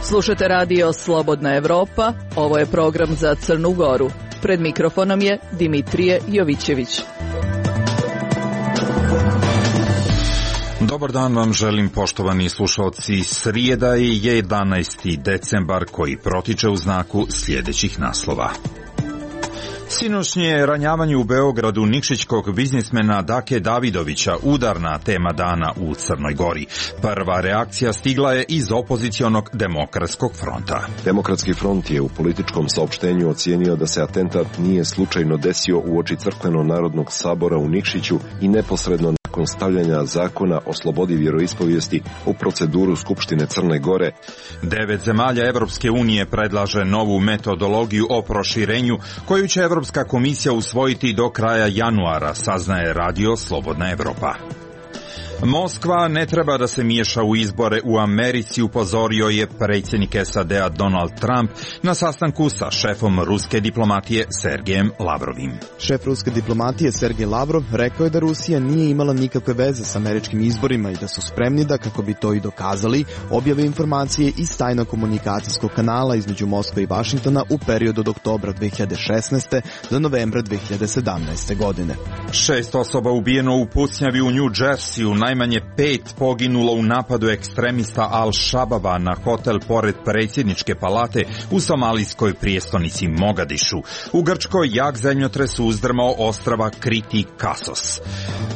Slušate radio Slobodna Evropa, ovo je program za Crnu Goru. Pred mikrofonom je Dimitrije Jovićević. Dobar dan vam želim, poštovani slušalci. Srijeda je 11. decembar koji protiče u znaku sljedećih naslova. Sinoćnje ranjavanje u Beogradu nikšićkog biznismena Dake Davidovića udarna tema dana u Crnoj Gori. Prva reakcija stigla je iz opozicionog Demokratskog fronta. Demokratski front je u političkom saopštenju ocijenio da se atentat nije slučajno desio uoči Crkveno-narodnog sabora u Nikšiću i neposredno nakon stavljanja zakona o slobodi vjeroispovijesti u proceduru Skupštine Crne Gore. 9 zemalja Evropske unije predlaže novu metodologiju o proširenju koju će Evropska komisija usvojiti do kraja januara, saznaje radio Slobodna Evropa. Moskva ne treba da se miješa u izbore u Americi, upozorio je predsjednik SAD-a Donald Trump na sastanku sa šefom ruske diplomatije Sergejem Lavrovim. Šef ruske diplomatije Sergej Lavrov rekao je da Rusija nije imala nikakve veze s američkim izborima i da su spremni da, kako bi to i dokazali, objave informacije iz tajnog komunikacijskog kanala između Moskve i Vašingtona u periodu od oktobra 2016. do novembra 2017. godine. 6 osoba ubijeno u pucnjavi u New Jerseyu, najmanje 5 poginulo u napadu ekstremista Al-Shababa na hotel pored predsjedničke palate u somalijskoj prijestolnici Mogadišu. U Grčkoj jak zemljotres uzdrmao ostrava Kriti Kasos.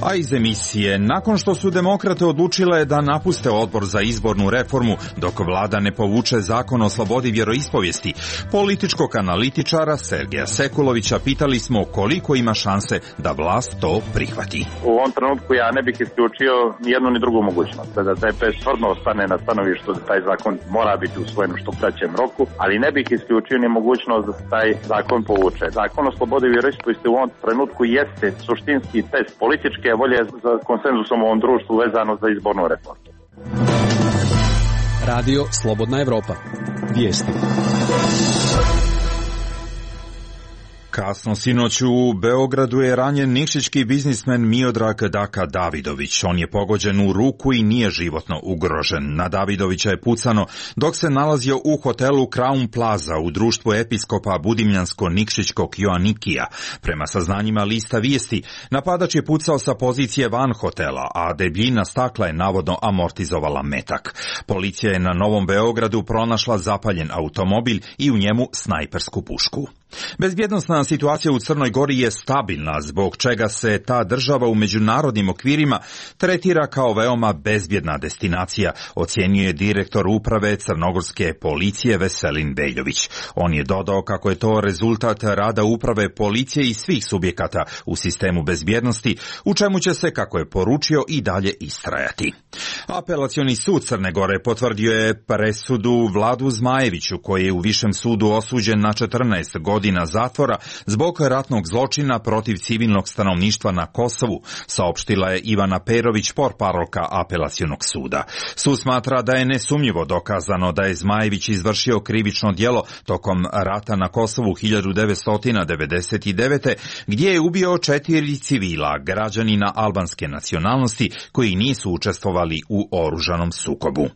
A iz emisije, nakon što su demokrate odlučile da napuste odbor za izbornu reformu dok vlada ne povuče zakon o slobodi vjeroispovijesti, političkog analitičara Sergeja Sekulovića pitali smo koliko ima šanse da vlast to prihvati. U ovom trenutku ja ne bih isključio ni jednu ni drugu mogućnost. Da DPS stvarno ostane na stanovištu da taj zakon mora biti usvojen u što kraćem roku, ali ne bih isključio ni mogućnost da se taj zakon povuče. Zakon o slobodi vjeroispovijesti u ovom trenutku jeste suštinski test političke volje za konsenzusom u ovom društvu vezano za izbornu reformu. Radio Slobodna Evropa. Vijesti. Kasno sinoć u Beogradu je ranjen nikšićki biznismen Miodrag Daka Davidović. On je pogođen u ruku i nije životno ugrožen. Na Davidovića je pucano dok se nalazio u hotelu Crown Plaza u društvu episkopa Budimljansko-nikšićkog Joanikija. Prema saznanjima lista Vijesti, napadač je pucao sa pozicije van hotela, a debljina stakla je navodno amortizovala metak. Policija je na Novom Beogradu pronašla zapaljen automobil i u njemu snajpersku pušku. Bezbjednosna situacija u Crnoj Gori je stabilna, zbog čega se ta država u međunarodnim okvirima tretira kao veoma bezbjedna destinacija, ocjenjuje direktor uprave crnogorske policije Veselin Beljović. On je dodao kako je to rezultat rada uprave policije i svih subjekata u sistemu bezbjednosti, u čemu će se, kako je poručio, i dalje istrajati. Apelacioni sud Crne Gore potvrdio je presudu Vladu Zmajeviću, koji je u Višem sudu osuđen na 14 godina zatvora zbog ratnog zločina protiv civilnog stanovništva na Kosovu, saopštila je Ivana Perović, portparolka Apelacionog suda. Sud smatra da je nesumnjivo dokazano da je Zmajević izvršio krivično djelo tokom rata na Kosovu 1999. gdje je ubio 4 civila, građanina albanske nacionalnosti, koji nisu učestvovali u oružanom sukobu.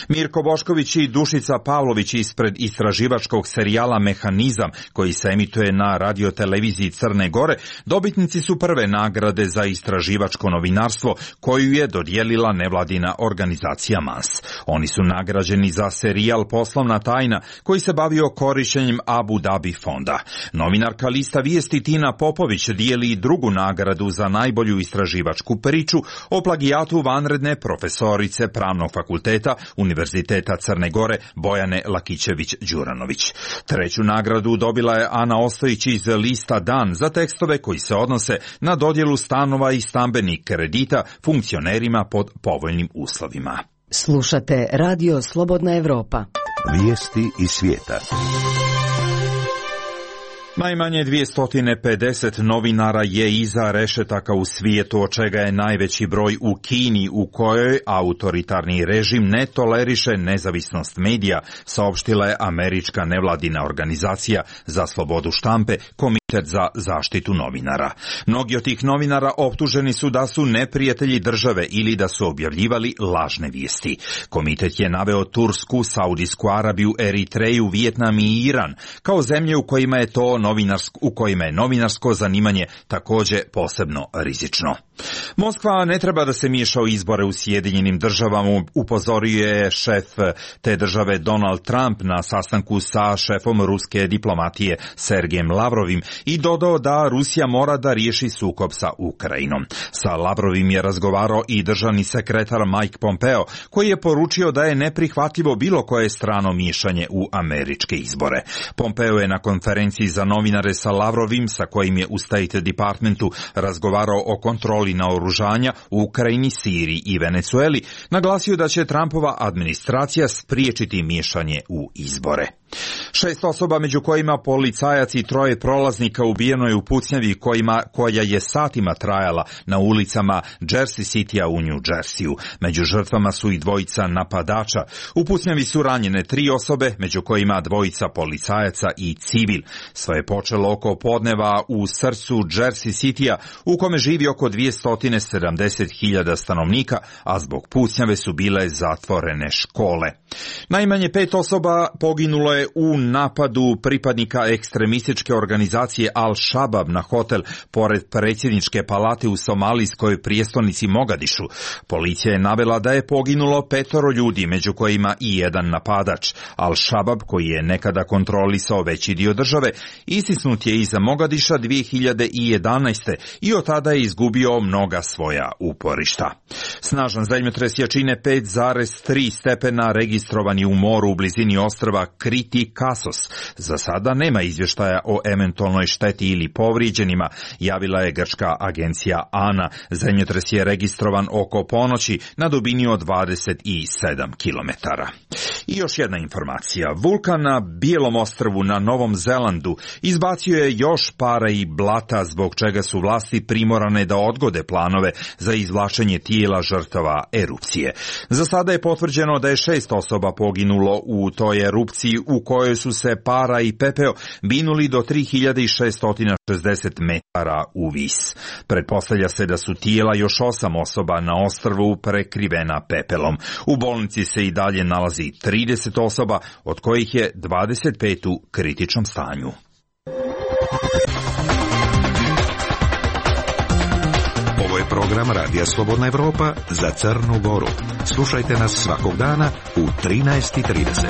Mirko Bošković i Dušica Pavlović ispred istraživačkog serijala Mehanizam, koji se emituje na radioteleviziji Crne Gore, dobitnici su prve nagrade za istraživačko novinarstvo koju je dodijelila nevladina organizacija MANS. Oni su nagrađeni za serijal Poslovna tajna koji se bavio korištenjem Abu Dhabi fonda. Novinarka lista Vijesti Tina Popović dijeli drugu nagradu za najbolju istraživačku priču o plagijatu vanredne profesorice Pravnog fakulteta Univerziteta Crne Gore Bojane Lakićević-Đuranović. Treću nagradu dobila je Ana Ostojić iz lista Dan za tekstove koji se odnose na dodjelu stanova i stambenih kredita funkcionerima pod povoljnim uslovima. Slušate Radio Slobodna Evropa. Vijesti iz svijeta. Najmanje 250 novinara je iza rešetaka u svijetu, od čega je najveći broj u Kini, u kojoj autoritarni režim ne toleriše nezavisnost medija, saopštila je američka nevladina organizacija za slobodu štampe, Komitet za zaštitu novinara. Mnogi od tih novinara optuženi su da su neprijatelji države ili da su objavljivali lažne vijesti. Komitet je naveo Tursku, Saudijsku Arabiju, Eritreju, Vijetnam i Iran kao zemlje u kojima je novinarsko zanimanje također posebno rizično. Moskva ne treba da se miješa u izbore u Sjedinjenim državama, upozorio je šef te države Donald Trump na sastanku sa šefom ruske diplomatije Sergejem Lavrovim i dodao da Rusija mora da riješi sukob sa Ukrajinom. Sa Lavrovim je razgovarao i državni sekretar Mike Pompeo, koji je poručio da je neprihvatljivo bilo koje strano miješanje u američke izbore. Pompeo je na konferenciji za novinare sa Lavrovim, sa kojim je u State Departmentu razgovarao o kontroli naoružanja u Ukrajini, Siriji i Venecueli, naglasio da će Trumpova administracija spriječiti miješanje u izbore. 6 osoba, među kojima policajac i 3 prolaznika, ubijeno je u pucnjavi koja je satima trajala na ulicama Jersey Citya u New Jerseyu. Među žrtvama su i 2 napadača. U pucnjavi su ranjene 3 osobe, među kojima 2 policajaca i civil. Sve je počelo oko podneva u srcu Jersey Citya, u kome živi oko 270.000 stanovnika, a zbog pucnjave su bile zatvorene škole. Najmanje 5 osoba poginulo je u napadu pripadnika ekstremističke organizacije Al-Shabaab na hotel pored predsjedničke palate u somalijskoj prijestolnici Mogadišu. Policija je navela da je poginulo 5 ljudi, među kojima i 1 napadač. Al-Shabaab, koji je nekada kontrolisao veći dio države, istisnut je iza Mogadiša 2011. i od tada je izgubio mnoga svoja uporišta. Snažan zemljotres jačine 5,3 stepena registrovan je u moru u blizini ostrva Kriti Kasos. Za sada nema izvještaja o eventualnoj šteti ili povrijeđenima, javila je grčka agencija ANA. Zemljotres je registrovan oko ponoći na dubini od 27 kilometara. I još jedna informacija. Vulkan na Bijelom ostrvu na Novom Zelandu izbacio je još para i blata, zbog čega su vlasti primorane da odgode planove za izvlačenje tijela žrtava erupcije. Za sada je potvrđeno da je 6 osoba poginulo u toj erupciji, u kojoj su se para i pepeo binuli do 3660 metara u vis. Pretpostavlja se da su tijela još 8 osoba na ostrvu prekrivena pepelom. U bolnici se i dalje nalazi 30 osoba, od kojih je 25 u kritičnom stanju. Ovo je program Radija Slobodna Evropa za Crnu Goru. Slušajte nas svakog dana u 13:30.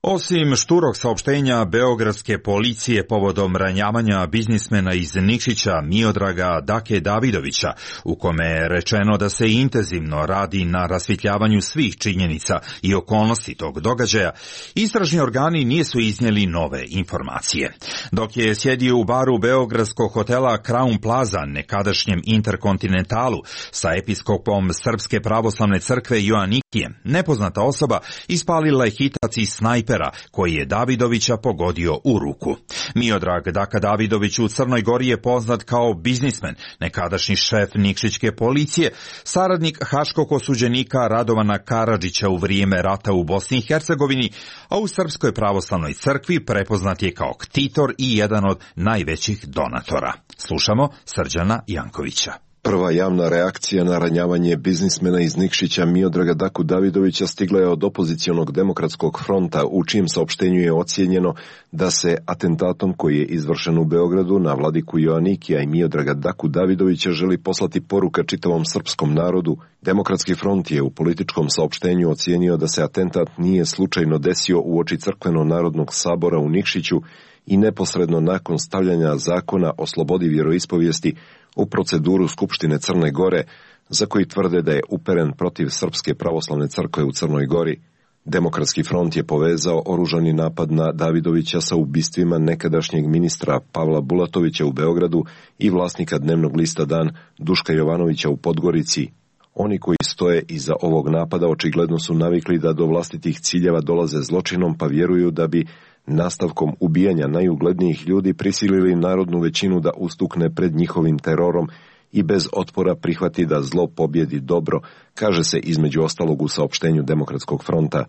Osim šturog saopštenja beogradske policije povodom ranjavanja biznismena iz Nikšića Miodraga Dake Davidovića, u kome je rečeno da se intenzivno radi na rasvjetljavanju svih činjenica i okolnosti tog događaja, istražni organi nisu iznijeli nove informacije. Dok je sjedio u baru beogradskog hotela Crown Plaza, nekadašnjem Interkontinentalu, sa episkopom Srpske pravoslavne crkve Joanikijem, nepoznata osoba ispalila je hitac iz snajpera koji je Davidovića pogodio u ruku. Miodrag Daka Davidović u Crnoj Gori je poznat kao biznismen, nekadašnji šef Nikšićke policije, saradnik haškog osuđenika Radovana Karadžića u vrijeme rata u Bosni i Hercegovini, a u Srpskoj pravoslavnoj crkvi prepoznat je kao ktitor i jedan od najvećih donatora. Slušamo Srđana Jankovića. Prva javna reakcija na ranjavanje biznismena iz Nikšića Miodraga Daku Davidovića stigla je od opozicionog demokratskog fronta, u čijem saopštenju je ocijenjeno da se atentatom koji je izvršen u Beogradu na vladiku Joanikija i Miodraga Daku Davidovića želi poslati poruka čitavom srpskom narodu. Demokratski front je u političkom saopštenju ocijenio da se atentat nije slučajno desio uoči Crkveno-narodnog sabora u Nikšiću i neposredno nakon stavljanja zakona o slobodi vjeroispovijesti u proceduru Skupštine Crne Gore, za koji tvrde da je uperen protiv Srpske pravoslavne crkve u Crnoj Gori. Demokratski front je povezao oružani napad na Davidovića sa ubistvima nekadašnjeg ministra Pavla Bulatovića u Beogradu i vlasnika dnevnog lista Dan Duška Jovanovića u Podgorici. Oni koji stoje iza ovog napada očigledno su navikli da do vlastitih ciljeva dolaze zločinom, pa vjeruju da bi nastavkom ubijanja najuglednijih ljudi prisilili narodnu većinu da ustukne pred njihovim terorom i bez otpora prihvati da zlo pobjedi dobro, kaže se između ostalog u saopštenju Demokratskog fronta.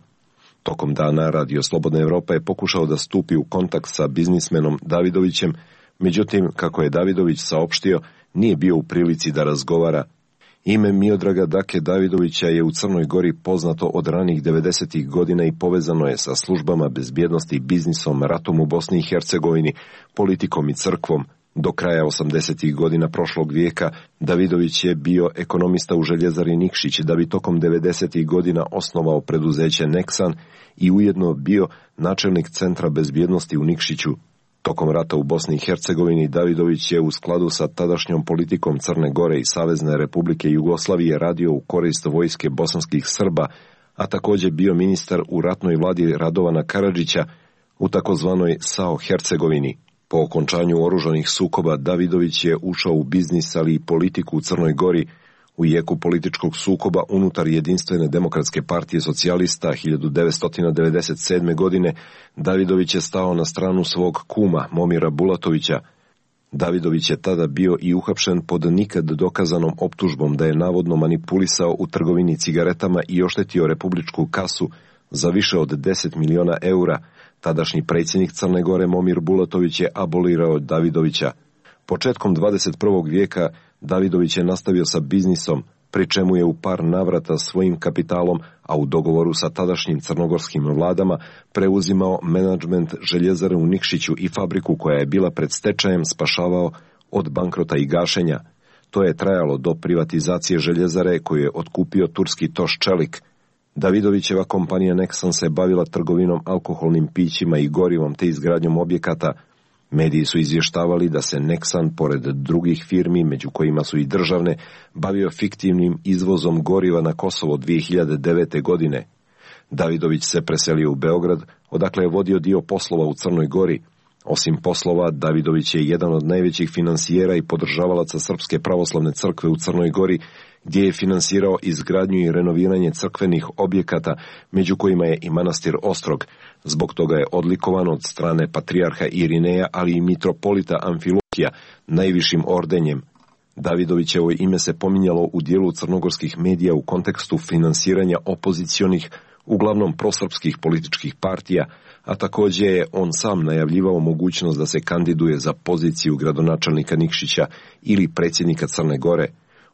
Tokom dana Radio Slobodna Evropa je pokušao da stupi u kontakt sa biznismenom Davidovićem, međutim, kako je Davidović saopštio, nije bio u prilici da razgovara. Ime Miodraga Dake Davidovića je u Crnoj Gori poznato od ranih 90. godina i povezano je sa službama bezbjednosti, biznisom, ratom u Bosni i Hercegovini, politikom i crkvom. Do kraja 80. godina prošlog vijeka Davidović je bio ekonomista u željezari Nikšić, da bi tokom 90. godina osnovao preduzeće Nexan i ujedno bio načelnik Centra bezbjednosti u Nikšiću. Tokom rata u Bosni i Hercegovini Davidović je u skladu sa tadašnjom politikom Crne Gore i Savezne Republike Jugoslavije radio u korist vojske bosanskih Srba, a također bio ministar u ratnoj vladi Radovana Karadžića u takozvanoj SAO Hercegovini. Po okončanju oružanih sukoba Davidović je ušao u biznis, ali i politiku u Crnoj Gori. U jeku političkog sukoba unutar Jedinstvene demokratske partije socijalista 1997. godine Davidović je stao na stranu svog kuma Momira Bulatovića. Davidović je tada bio i uhapšen pod nikad dokazanom optužbom da je navodno manipulisao u trgovini cigaretama i oštetio republičku kasu za više od 10 miliona eura. Tadašnji predsjednik Crne Gore Momir Bulatović je abolirao Davidovića. Početkom 21. vijeka Davidović je nastavio sa biznisom, pri čemu je u par navrata svojim kapitalom, a u dogovoru sa tadašnjim crnogorskim vladama, preuzimao menadžment željezare u Nikšiću i fabriku koja je bila pred stečajem spašavao od bankrota i gašenja. To je trajalo do privatizacije željezare koju je otkupio turski Toš Čelik. Davidovićeva kompanija Nexan se bavila trgovinom alkoholnim pićima i gorivom te izgradnjom objekata. Mediji su izvještavali da se Nexan, pored drugih firmi, među kojima su i državne, bavio fiktivnim izvozom goriva na Kosovo 2009. godine. Davidović se preselio u Beograd, odakle je vodio dio poslova u Crnoj Gori. Osim poslova, Davidović je jedan od najvećih finansijera i podržavalaca Srpske pravoslavne crkve u Crnoj Gori, gdje je finansirao izgradnju i renoviranje crkvenih objekata, među kojima je i manastir Ostrog. Zbog toga je odlikovan od strane patrijarha Irineja, ali i mitropolita Amfilohija, najvišim ordenjem. Davidovićevo ime se pominjalo u dijelu crnogorskih medija u kontekstu finansiranja opozicionih, uglavnom prosrpskih političkih partija, a također je on sam najavljivao mogućnost da se kandiduje za poziciju gradonačelnika Nikšića ili predsjednika Crne Gore.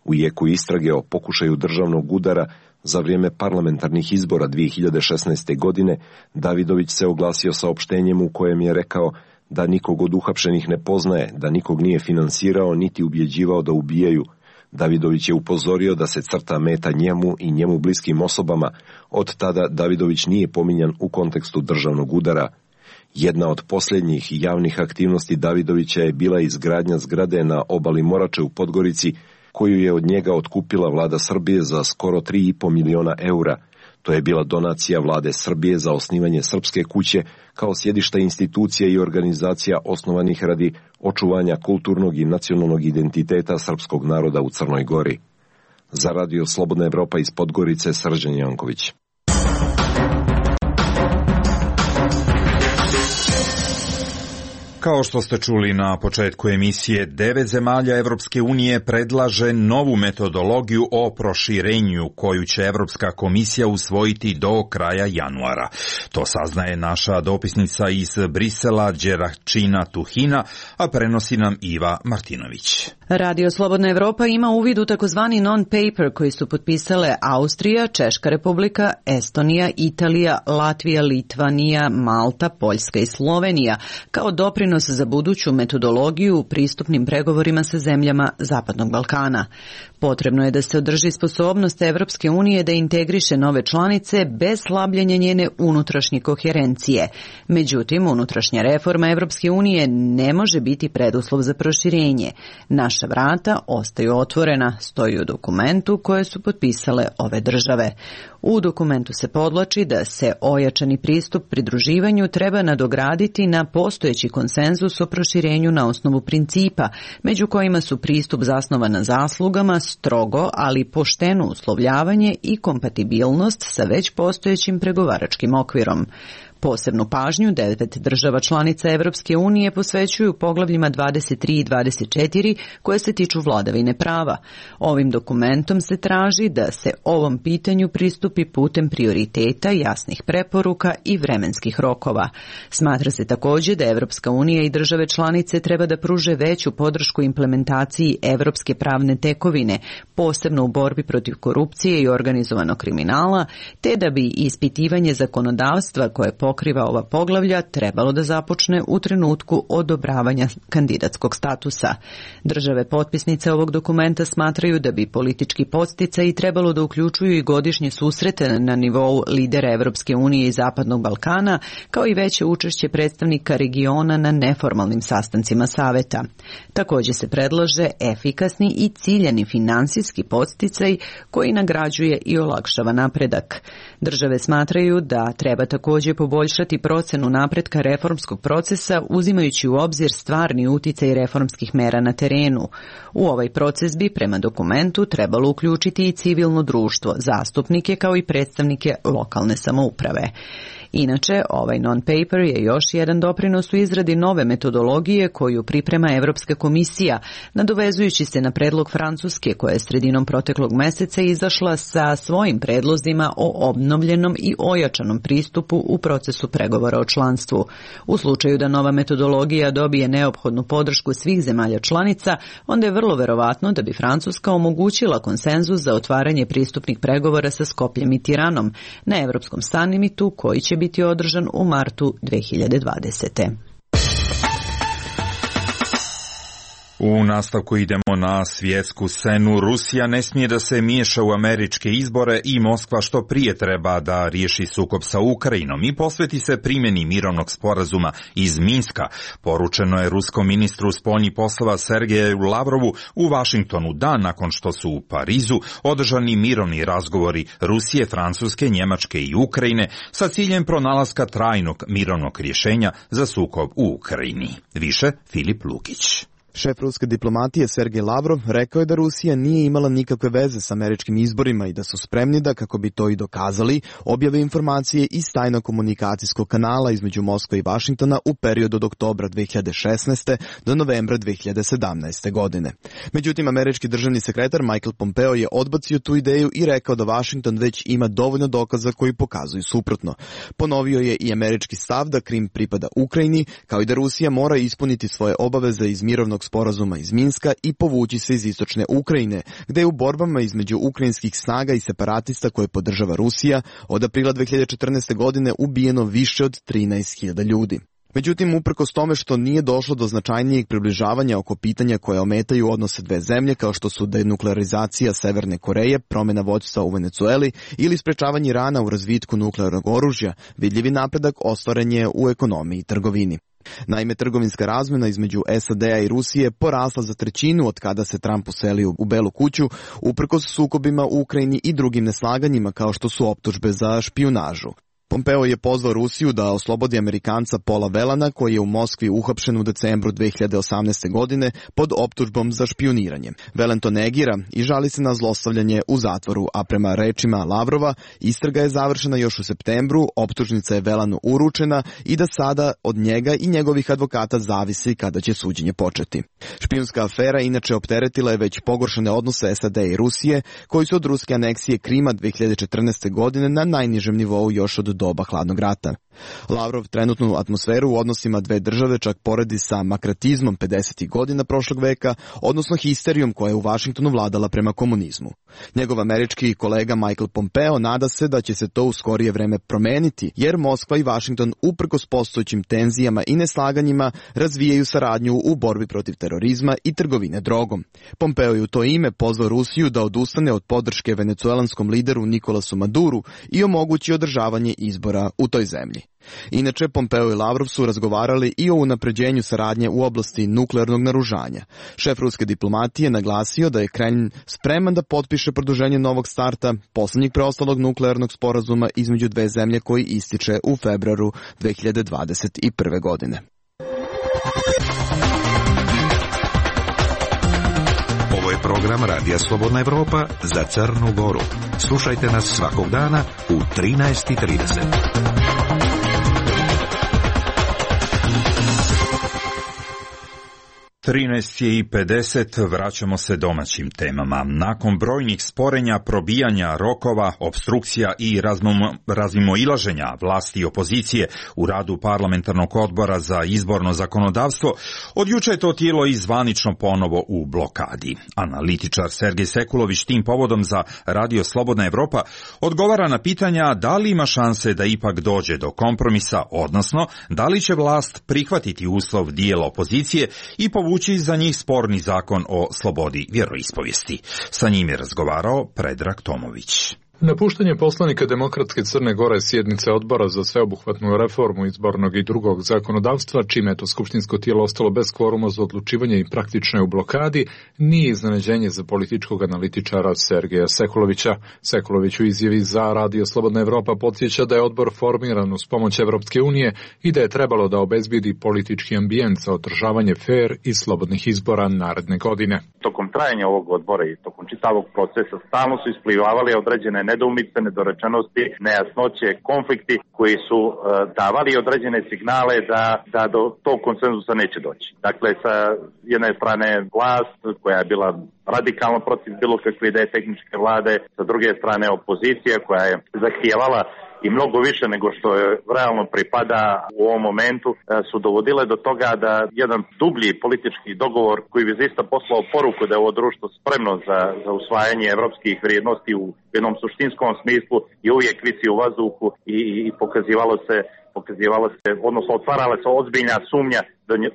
U jeku istrage o pokušaju državnog udara za vrijeme parlamentarnih izbora 2016. godine, Davidović se oglasio saopštenjem u kojem je rekao da nikog od uhapšenih ne poznaje, da nikog nije finansirao niti ubjeđivao da ubijaju. Davidović je upozorio da se crta meta njemu i njemu bliskim osobama. Od tada Davidović nije pominjan u kontekstu državnog udara. Jedna od posljednjih javnih aktivnosti Davidovića je bila izgradnja zgrade na obali Morače u Podgorici, koju je od njega otkupila vlada Srbije za skoro 3,5 miliona eura. To je bila donacija vlade Srbije za osnivanje Srpske kuće kao sjedišta institucija i organizacija osnovanih radi očuvanja kulturnog i nacionalnog identiteta srpskog naroda u Crnoj Gori. Za Radio Slobodna Evropa iz Podgorice, Srđan Janković. Kao što ste čuli na početku emisije, 9 zemalja Evropske unije predlaže novu metodologiju o proširenju koju će Evropska komisija usvojiti do kraja januara. To saznaje naša dopisnica iz Brisela, Đeračina Tuhina, a prenosi nam Iva Martinović. Radio Slobodna Evropa ima uvid u takozvani non-paper koji su potpisale Austrija, Češka republika, Estonija, Italija, Latvija, Litvanija, Malta, Poljska i Slovenija, kao doprinos za buduću metodologiju u pristupnim pregovorima sa zemljama Zapadnog Balkana. Potrebno je da se održi sposobnost Evropske unije da integriše nove članice bez slabljenja njene unutrašnje koherencije. Međutim, unutrašnja reforma Evropske unije ne može biti preduslov za proširenje. Naša vrata ostaju otvorena, stoji u dokumentu koje su potpisale ove države. U dokumentu se podvlači da se ojačani pristup pridruživanju treba nadograditi na postojeći konsenzus o proširenju na osnovu principa, među kojima su pristup zasnovan na zaslugama, strogo, ali pošteno uslovljavanje i kompatibilnost sa već postojećim pregovaračkim okvirom. Posebnu pažnju 9 država članica Evropske unije posvećuju poglavljima 23 i 24 koje se tiču vladavine prava. Ovim dokumentom se traži da se ovom pitanju pristupi putem prioriteta, jasnih preporuka i vremenskih rokova. Smatra se također da Evropska unija i države članice treba da pruže veću podršku implementaciji evropske pravne tekovine, posebno u borbi protiv korupcije i organizovanog kriminala, te da bi ispitivanje zakonodavstva koje pokriva ova poglavlja trebalo da započne u trenutku odobravanja kandidatskog statusa. Države potpisnice ovog dokumenta smatraju da bi politički podsticaji trebalo da uključuju i godišnje susrete na nivou lidera Evropske unije i Zapadnog Balkana, kao i veće učešće predstavnika regiona na neformalnim sastancima saveta. Također se predlaže efikasni i ciljani finansijski podsticaj koji nagrađuje i olakšava napredak. Države smatraju da treba također poboljšati procenu napretka reformskog procesa uzimajući u obzir stvarni uticaj reformskih mera na terenu. U ovaj proces bi prema dokumentu trebalo uključiti i civilno društvo, zastupnike kao i predstavnike lokalne samouprave. Inače, ovaj non-paper je još jedan doprinos u izradi nove metodologije koju priprema Evropska komisija, nadovezujući se na predlog Francuske koja je sredinom proteklog meseca izašla sa svojim predlozima o obnovljenom i ojačanom pristupu u procesu pregovora o članstvu. U slučaju da nova metodologija dobije neophodnu podršku svih zemalja članica, onda je vrlo verovatno da bi Francuska omogućila konsenzus za otvaranje pristupnih pregovora sa Skopljem i Tiranom na Evropskom sammitu koji će biti održan u martu 2020. U nastavku idemo na svjetsku scenu. Rusija ne smije da se miješa u američke izbore i Moskva što prije treba da riješi sukob sa Ukrajinom i posveti se primjeni mirovnog sporazuma iz Minska, poručeno je ruskom ministru spoljnih poslova Sergeju Lavrovu u Vašingtonu dan nakon što su u Parizu održani mirovni razgovori Rusije, Francuske, Njemačke i Ukrajine sa ciljem pronalaska trajnog mirovnog rješenja za sukob u Ukrajini. Više Filip Lukić. Šef ruske diplomatije Sergej Lavrov rekao je da Rusija nije imala nikakve veze s američkim izborima i da su spremni da, kako bi to i dokazali, objave informacije iz tajno-komunikacijskog kanala između Moskve i Vašingtona u periodu od oktobra 2016. do novembra 2017. godine. Međutim, američki državni sekretar Michael Pompeo je odbacio tu ideju i rekao da Vašington već ima dovoljno dokaza koji pokazuju suprotno. Ponovio je i američki stav da Krim pripada Ukrajini, kao i da Rusija mora ispuniti svoje obaveze iz mirovnog sporazuma iz Minska i povući se iz istočne Ukrajine, gde je u borbama između ukrajinskih snaga i separatista koje podržava Rusija od aprila 2014. godine ubijeno više od 13.000 ljudi. Međutim, uprkos tome što nije došlo do značajnijeg približavanja oko pitanja koje ometaju odnose dve zemlje, kao što su denuklearizacija Severne Koreje, promjena vođstva u Venecueli ili sprečavanje Irana u razvitku nuklearnog oružja, vidljivi napredak ostvaren je u ekonomiji i trgovini. Naime, trgovinska razmjena između SAD-a i Rusije porasla za trećinu od kada se Trump uselio u Belu kuću, uprkos sukobima u Ukrajini i drugim neslaganjima kao što su optužbe za špijunažu. Pompeo je pozvao Rusiju da oslobodi Amerikanca Paula Whelana, koji je u Moskvi uhapšen u decembru 2018. godine pod optužbom za špijuniranje. Whelan to negira i žali se na zlostavljanje u zatvoru, a prema rečima Lavrova, istraga je završena još u septembru, optužnica je Whelanu uručena i da sada od njega i njegovih advokata zavisi kada će suđenje početi. Špijunska afera inače opteretila je već pogoršane odnose SAD i Rusije, koji su od ruske aneksije Krima 2014. godine na najnižem nivou još od doba hladnog rata. Lavrov trenutnu atmosferu u odnosima dve države čak poredi sa makratizmom 50. godina prošlog veka, odnosno histerijom koja je u Vašingtonu vladala prema komunizmu. Njegov američki kolega Michael Pompeo nada se da će se to u skorije vreme promeniti, jer Moskva i Vašington uprkos postojećim tenzijama i neslaganjima razvijaju saradnju u borbi protiv terorizma i trgovine drogom. Pompeo je u to ime pozvao Rusiju da odustane od podrške venecuelanskom lideru Nikolasu Maduru i omogući održavanje izbora u toj zemlji. Inače, Pompeo i Lavrov su razgovarali i o unapređenju saradnje u oblasti nuklearnog naoružanja. Šef ruske diplomatije naglasio da je Kremlj spreman da potpiše produženje novog starta, posljednjeg preostalog nuklearnog sporazuma između dve zemlje koji ističe u februaru 2021. godine. Ovo je program Radija Slobodna Evropa za Crnu Goru. Slušajte nas svakog dana u 13:30. 13:50, vraćamo se domaćim temama. Nakon brojnih sporenja, probijanja rokova, obstrukcija i razmimoilaženja vlasti i opozicije u radu parlamentarnog odbora za izborno zakonodavstvo, od juče je to tijelo i zvanično ponovo u blokadi. Analitičar Sergej Sekulović tim povodom za Radio Slobodna Evropa odgovara na pitanja da li ima šanse da ipak dođe do kompromisa, odnosno da li će vlast prihvatiti uslov dijela opozicije i povući za njih sporni zakon o slobodi vjeroispovijesti. Sa njim je razgovarao Predrag Tomović. Napuštanje poslanika Demokratske Crne Gore sjednice odbora za sveobuhvatnu reformu izbornog i drugog zakonodavstva, čime je to skupštinsko tijelo ostalo bez kvoruma za odlučivanje i praktično je u blokadi, nije iznenađenje za političkog analitičara Sergeja Sekulovića. Sekulović u izjavi za Radio Slobodna Evropa podsjeća da je odbor formiran uz pomoć Evropske unije i da je trebalo da obezbedi politički ambijent za održavanje fer i slobodnih izbora naredne godine. Tokom trajanja ovog odbora i tokom čitavog procesa stalno su isplivavali određene nedoumice, nedorečenosti, nejasnoće, konflikti koji su davali određene signale da do tog konsenzusa neće doći. Dakle, sa jedne strane vlast koja je bila radikalno protiv bilo kakve ideje tehničke vlade, sa druge strane opozicija koja je zahtijevala i mnogo više nego što je realno pripada u ovom momentu, su dovodile do toga da jedan dublji politički dogovor koji bi zaista poslao poruku da je ovo društvo spremno za usvajanje evropskih vrijednosti u jednom suštinskom smislu i uvijek visi u vazduhu i pokazivalo se, odnosno otvarala se ozbiljna sumnja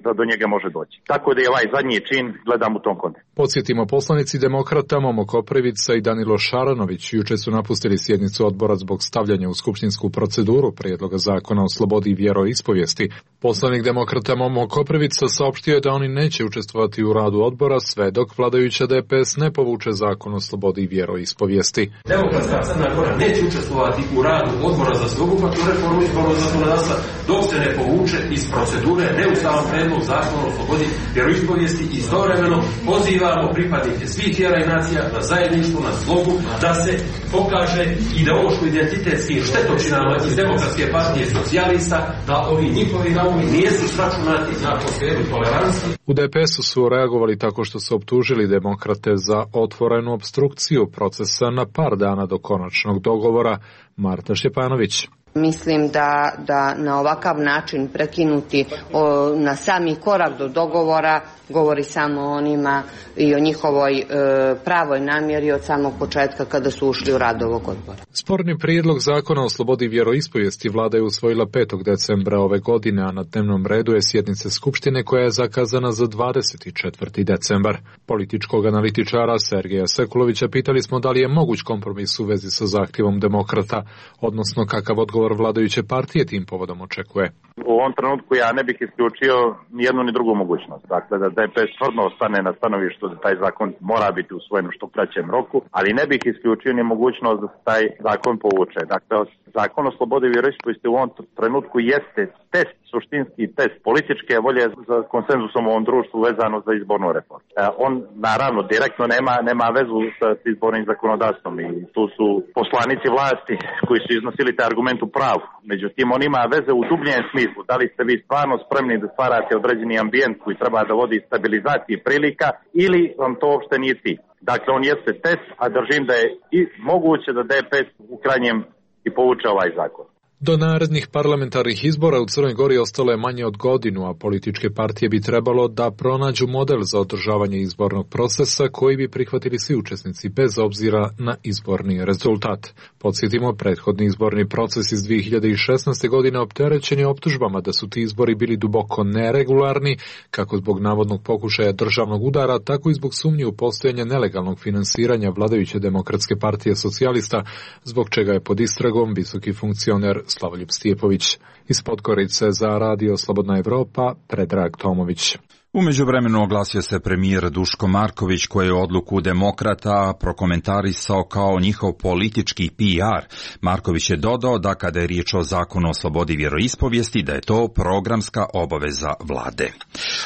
da do njega može doći. Tako da je ovaj zadnji čin gledam u tom kontekstu. Podsjetimo, poslanici Demokrata Momo Koprivica i Danilo Šaranović juče su napustili sjednicu odbora zbog stavljanja u skupštinsku proceduru prijedloga zakona o slobodi vjeroispovijesti. Poslanik Demokrata Momo Koprivica saopštio je da oni neće učestvovati u radu odbora sve dok vladajuća DPS ne povuče zakon o slobodi vjeroispovijesti. Demokratska Crna Gora neće učestvovati u radu odbora za sveobuhvatnu reformu izbornog zakonodavstva dok se ne povuče iz procedure neustavan predlog zakona o slobodi vjeroispovijesti i istovremeno pozivamo pripadnike svih vjera i nacija na zajedništvo, na slogu, da se pokaže ideološko-identitetskim štetočinama iz Demokratske partije socijalista, da ovi njihovi naumi nijesu sračunati na atmosferu tolerancije. U DPS-u su reagovali tako što su optužili demokrate za otvorenu opstrukciju procesa na par dana do konačnog dogovora. Marta Šćepanović. Mislim da na ovakav način prekinuti na sami korak do dogovora govori samo o onima i o njihovoj pravoj namjeri od samog početka kada su ušli u rad ovog odbora. Sporni prijedlog zakona o slobodi vjeroispovijesti vlada je usvojila 5. decembra ove godine, a na dnevnom redu je sjednice Skupštine koja je zakazana za 24. decembar. Političkog analitičara Sergeja Sekulovića pitali smo da li je moguć kompromis u vezi sa zahtjevom demokrata, odnosno kakav odgovor vladajuće partije tim povodom očekuje. U ovom trenutku ja ne bih isključio ni jednu ni drugu mogućnost. Dakle, da DPS stvarno ostane na stanovištu da taj zakon mora biti usvojen u što kraćem roku, ali ne bih isključio ni mogućnost da se taj zakon povuče. Dakle, zakon o slobodi vjeroispovijesti u ovom trenutku jeste test, suštinski test političke volje za konsenzusom u ovom društvu vezano za izbornu reformu. On, naravno, direktno nema vezu sa izbornim zakonodavstvom i tu su poslanici vlasti koji su iznosili taj argument u pravu. Međutim, on ima veze u dubljem smislu. Da li ste vi stvarno spremni da stvarate određeni ambijent koji treba da vodi stabilizaciji prilika ili vam to uopšte nije cilj. Dakle, on jeste test, a držim da je i moguće da DPS u krajnjem i povuče ovaj zakon. Do narednih parlamentarnih izbora u Crnoj Gori ostalo je manje od godinu, a političke partije bi trebalo da pronađu model za održavanje izbornog procesa koji bi prihvatili svi učesnici bez obzira na izborni rezultat. Podsjetimo, prethodni izborni proces iz 2016. godine opterećen je optužbama da su ti izbori bili duboko neregularni, kako zbog navodnog pokušaja državnog udara, tako i zbog sumnje u postojanje nelegalnog finansiranja vladajuće Demokratske partije socijalista, zbog čega je pod istragom visoki funkcioner Slavoljub Stijepović. Iz Podgorice za Radio Slobodna Evropa, Predrag Tomović. U međuvremenu oglasio se premijer Duško Marković koji je odluku Demokrata prokomentarisao kao njihov politički PR. Marković je dodao da kada je riječ o zakonu o slobodi vjeroispovijesti da je to programska obaveza vlade.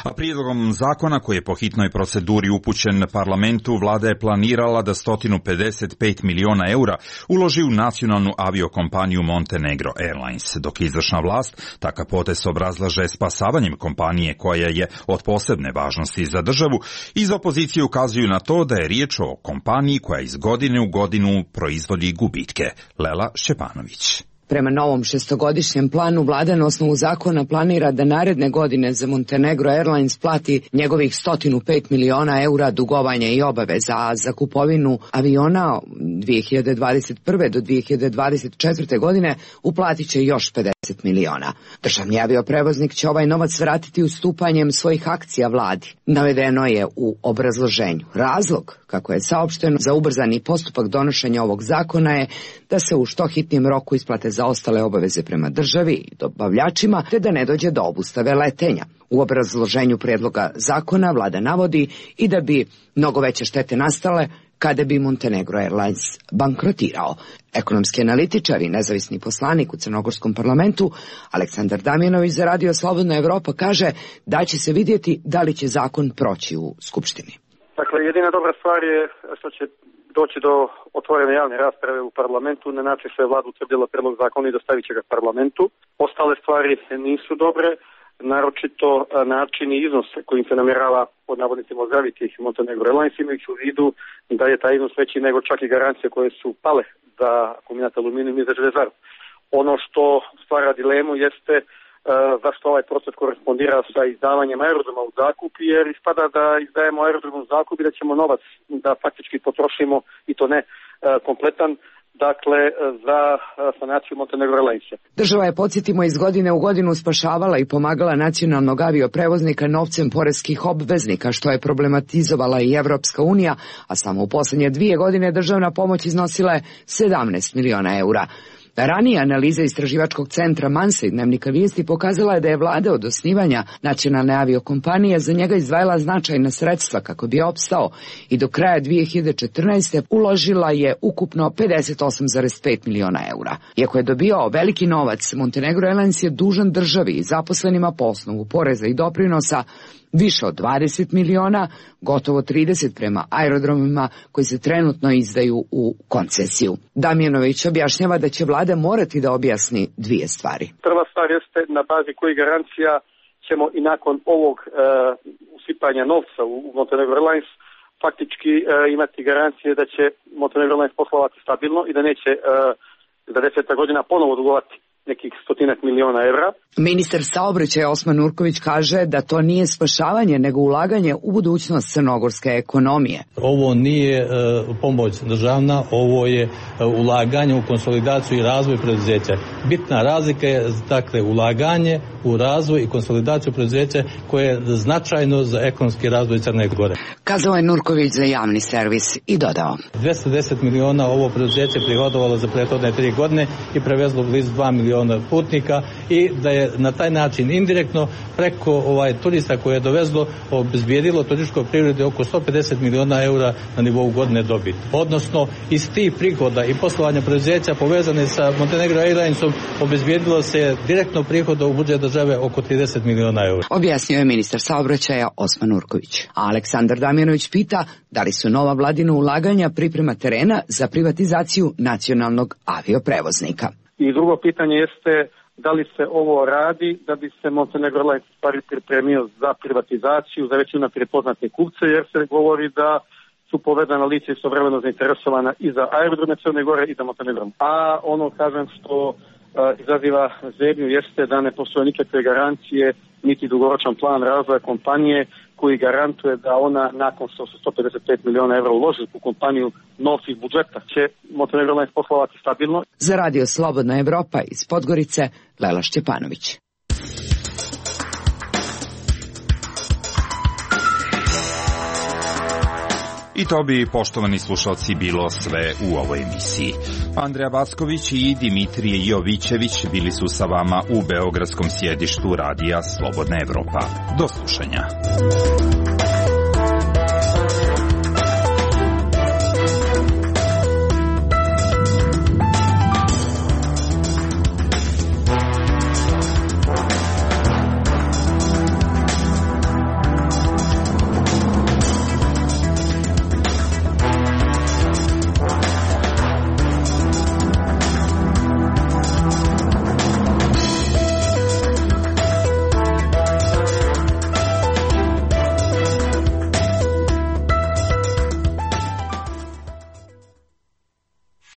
A prijedlogom zakona koji je po hitnoj proceduri upućen parlamentu, vlada je planirala da 155 miliona eura uloži u nacionalnu aviokompaniju Montenegro Airlines, dok izvršna vlast takav potez obrazlaže spasavanjem kompanije koja je od posebne važnosti za državu. Iz opozicije ukazuju na to da je riječ o kompaniji koja iz godine u godinu proizvodi gubitke. Lela Šćepanović. Prema novom šestogodišnjem planu, vlada na osnovu zakona planira da naredne godine za Montenegro Airlines plati njegovih 105 miliona eura dugovanja i obaveza, a za kupovinu aviona 2021. do 2024. godine uplatit će još 50 miliona. Državni avioprevoznik će ovaj novac vratiti ustupanjem svojih akcija vladi. Navedeno je u obrazloženju. Razlog, kako je saopšteno za ubrzani postupak donošenja ovog zakona, je da se u što hitnijem roku isplate zaostale obaveze prema državi i dobavljačima, te da ne dođe do obustave letenja. U obrazloženju prijedloga zakona vlada navodi i da bi mnogo veće štete nastale kada bi Montenegro Airlines bankrotirao. Ekonomski analitičar i nezavisni poslanik u Crnogorskom parlamentu Aleksandar Damjanović za Radio Slobodna Evropa kaže da će se vidjeti da li će zakon proći u Skupštini. Dakle, jedina dobra stvar je što će doći do otvorene javne rasprave u parlamentu, na način što je vlada utvrdila predlog zakona i dostavit će ga parlamentu. Ostale stvari nisu dobre, naročito način i iznos kojim se namjerava pod navodnicima ozdraviti Montenegro Airlines, imajući u vidu da je taj iznos veći nego čak i garancije koje su pale za kombinat aluminijum i za željezaru. Ono što stvara dilemu jeste zašto ovaj proces korespondira sa izdavanjem aerodroma u zakup, jer ispada da izdajemo aerodrom u zakup i da ćemo novac da faktički potrošimo i to ne kompletan, dakle za sanaciju Montenegro Airlinesa. Država je, podsjetimo, iz godine u godinu spašavala i pomagala nacionalnog avioprevoznika novcem poreskih obveznika, što je problematizovala i Evropska unija, a samo u posljednje 2 godine državna pomoć iznosila je 17 miliona eura. Ranije analiza istraživačkog centra Mansa i Dnevnika Vijesti pokazala je da je vlada od osnivanja nacionalne aviokompanije za njega izdvajala značajna sredstva kako bi opstao i do kraja 2014. uložila je ukupno 58,5 miliona eura. Iako je dobio veliki novac, Montenegro Airlines je dužan državi i zaposlenima po osnovu poreza i doprinosa više od 20 miliona, gotovo 30 prema aerodromima koji se trenutno izdaju u koncesiju. Damjanović objašnjava da će vlada morati da objasni 2 stvari. Prva stvar jeste na bazi kojih garancija ćemo i nakon ovog usipanja novca u Montenegro Airlines faktički imati garancije da će Montenegro Airlines poslovati stabilno i da neće za 10 godina ponovo dugovati nekih 100 miliona evra. Ministar saobraćaja Osman Nurković kaže da to nije spašavanje, nego ulaganje u budućnost crnogorske ekonomije. Ovo nije pomoć državna, ovo je ulaganje u konsolidaciju i razvoj preduzeća. Bitna razlika je, dakle, ulaganje u razvoj i konsolidaciju preduzeća koje je značajno za ekonomski razvoj Crne Gore. Kazao je Nurković za javni servis i dodao. 210 miliona ovo preduzeće prihodovalo za prethodne 3 godine i prevezlo blizu 2 miliona putnika i da je na taj način indirektno preko turista koje je dovezlo obezbijedilo turističkoj privredi oko 150 miliona eura na nivou godine dobiti. Odnosno, iz tih prihoda i poslovanja preduzeća povezane sa Montenegro Airlinesom obezbijedilo se direktno prihoda u budžet države oko 30 miliona eura. Objasnio je ministar saobraćaja Osman Nurković. A Aleksandar Damjanović pita da li su nova vladina ulaganja priprema terena za privatizaciju nacionalnog avioprevoznika. I drugo pitanje jeste da li se ovo radi da bi se Montenegro Airlines stvari pripremio za privatizaciju, za već unaprijed poznate kupce, jer se govori da su povezana lica istovremeno zainteresovana i za aerodrome Crne Gore i za Montenegro. A ono, kažem, što izaziva zebnju jeste da ne postoje nikakve garancije niti dugoročan plan razvoja kompanije koji garantuje da ona nakon što se 155 miliona evra uloži u kompaniju novci iz budžeta će Montenegro Airlines poslovati stabilno. Za Radio Slobodna Evropa iz Podgorice, Lela Šćepanović. I to bi, poštovani slušalci, bilo sve u ovoj emisiji. Andreja Vasković i Dimitrije Jovićević bili su sa vama u beogradskom sjedištu Radija Slobodna Evropa. Do slušanja.